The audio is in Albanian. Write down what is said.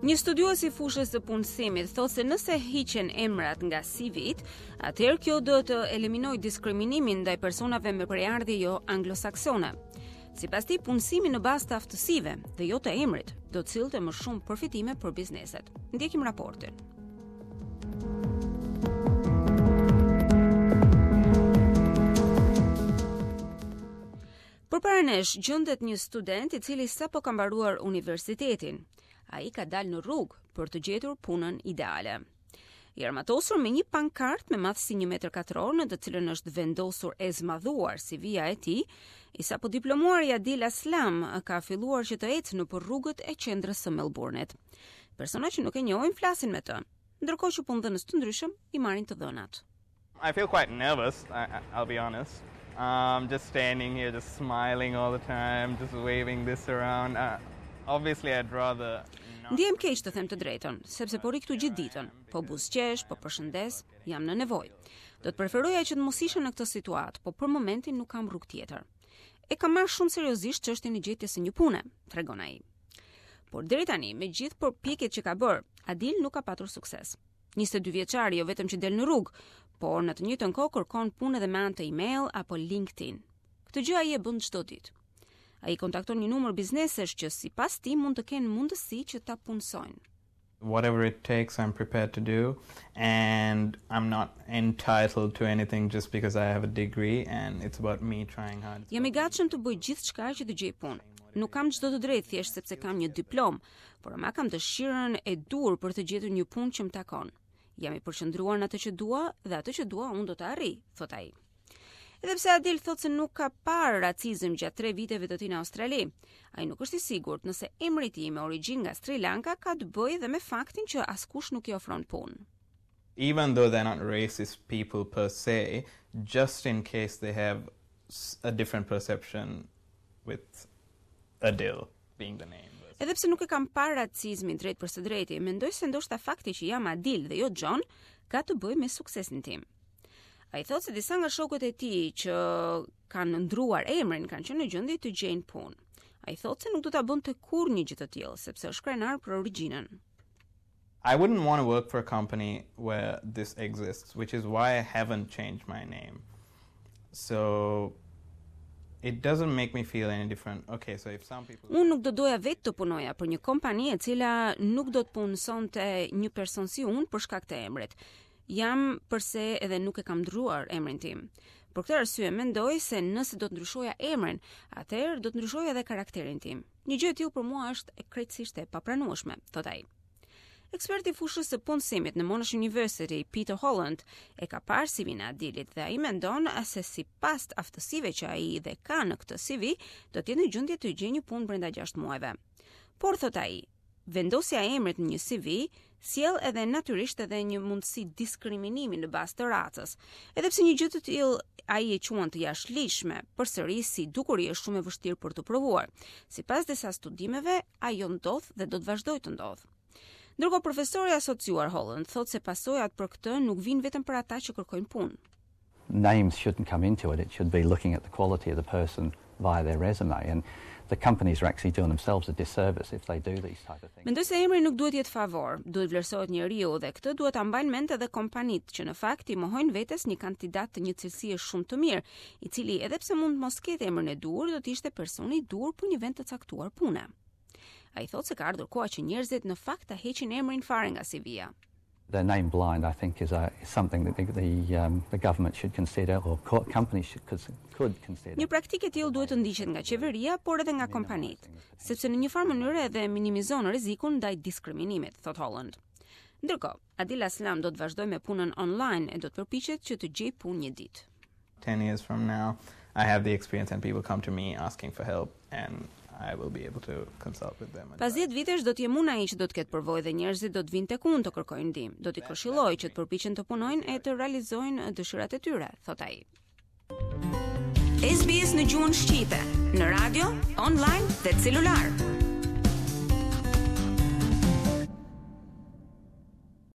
Një studiues i fushës së punësimit thotë se nëse hiqen emrat nga CV-t, atëherë kjo do të eliminojë diskriminimin ndaj personave me prejardhje jo anglosaksone. Sipas tij, punësimi në bazë të aftësive dhe jo të emrit do të sillte më shumë përfitime për bizneset. Ndjekim raportin. Përpara nesh gjendet një student i cili sapo ka mbaruar universitetin. Ai ka dalë në rrugë për të gjetur punën ideale. I armatosur me një pankartë me madhësi 1 metër katror në të cilën është vendosur e zmadhuar CV-ja e tij, i sapo diplomuari Adil Aslam ka filluar që të ecë nëpër rrugët e qendrës së Melbourne-it. Persona që nuk e njohin flasin me të, ndërkohë që punëdhënës të ndryshëm i marrin të dhënat. I feel quite nervous, I, I'll be honest. Um, just standing here, just smiling all the time, just waving this around. Uh, obviously I'd rather Ndihem keq të them të drejtën, sepse po rri këtu gjithë ditën, po buzëqesh, po përshëndes, jam në nevojë. Do të preferoja që të mos isha në këtë situatë, po për momentin nuk kam rrugë tjetër. E kam marrë shumë seriozisht çështjen e gjetjes së një pune, tregon ai. Por deri tani, me gjithë përpjekjet që ka bërë, Adil nuk ka patur sukses. 22 vjeçari jo vetëm që del në rrugë, por në të njëjtën kohë kërkon punë edhe me anë të email apo LinkedIn. Këtë gjë ai e bën çdo ditë. Ai kontakton një numër biznesesh që sipas tij mund të kenë mundësi që ta punësojnë. Whatever it takes I'm prepared to do and I'm not entitled to anything just because I have a degree and it's about me trying hard. Jam i gatshëm të bëj gjithçka që të gjej punë. Nuk kam çdo të drejtë thjesht sepse kam një diplomë, por ama kam dëshirën e duhur për të gjetur një punë që më takon. Jam i përqendruar në atë që dua dhe atë që dua unë do ta arrij, thotë ai. Edhe pse Adil thotë se nuk ka parë racizëm gjatë tre viteve të tij në Australi, ai nuk është i sigurt nëse emri i tij me origjinë nga Sri Lanka ka të bëjë dhe me faktin që askush nuk i ofron punë. Even though they're not racist people per se, just in case they have a different perception with Adil being the name. Edhe pse nuk e kam parë racizmin drejt për së drejti, mendoj se ndoshta fakti që jam Adil dhe jo John ka të bëjë me suksesin tim. Ai thotë se disa nga shokët e tij që kanë ndruar emrin kanë qenë në gjendje të gjejnë punë. Ai thotë se nuk do ta bënte kurrë një gjë të tillë, sepse është krenar për origjinën. I wouldn't want to work for a company where this exists, which is why I haven't changed my name. So it doesn't make me feel any different. Okay, so if some people Unë nuk do doja vetë të punoja për një kompani e cila nuk do të punësonte një person si unë për shkak të emrit. Jam përse edhe nuk e kam ndruar emrin tim. Për këtë arsye mendoj se nëse do të ndryshoja emrin, atëherë do të ndryshoja edhe karakterin tim. Një gjë e tillë për mua është krejtësisht e papranueshme, thotë ai. Eksperti i fushës së punësimit në Monash University, Peter Holland, e ka parë CV-në e Adilit dhe ai mendon se sipas aftësive që ai dhe ka në këtë CV, do të jetë në gjendje të gjejë një punë brenda 6 muajve. Por thotë ai, vendosja e emrit në një CV sjell edhe natyrisht edhe një mundësi diskriminimi në bazë të racës. Edhe pse një gjë të tillë ai e quan të jashtëligjshme, përsëri si dukuri është shumë e vështirë për të provuar. Sipas disa studimeve, ajo ndodh dhe do të vazhdojë të ndodhë. Ndërkohë profesori i asociuar Holland thotë se pasojat për këtë nuk vijnë vetëm për ata që kërkojnë punë. Names shouldn't come into it. It should be looking at the quality of the person via their resume and the companies are actually doing themselves a disservice if they do these type of things. Mendoj se emri nuk duhet të jetë favor, duhet vlerësohet njeriu dhe këtë duhet ta mbajnë mend edhe kompanitë që në fakt i mohojnë vetes një kandidat të një cilësie shumë të mirë, i cili edhe pse mund të mos ketë emrin e duhur, do të ishte personi i duhur për një vend të caktuar pune. Ai thotë se ka ardhur koha që njerëzit në fakt ta heqin emrin fare nga CV-ja. The name blind I think is a is something that the the um the government should consider or companies should could, could consider. Një praktikë e tillë duhet të ndiqet nga qeveria, por edhe nga kompanitë, sepse në një farë mënyre edhe minimizon rrezikun ndaj diskriminimit, thotë Holland. Ndërkohë, Adil Aslam do të vazhdojë me punën online e do të përpiqet që të gjejë punë një ditë. 10 years from now I have the experience and people come to me asking for help and I will be able to consult with them. Pas 10 vitesh do të jem unë ai që do të ketë përvojë dhe njerëzit do të vinë tek unë të kërkojnë ndihmë. Do t'i këshilloj që të përpiqen të punojnë e të realizojnë dëshirat e tyre, thotë ai. SBS në gjuhën shqipe, në radio, online dhe celular.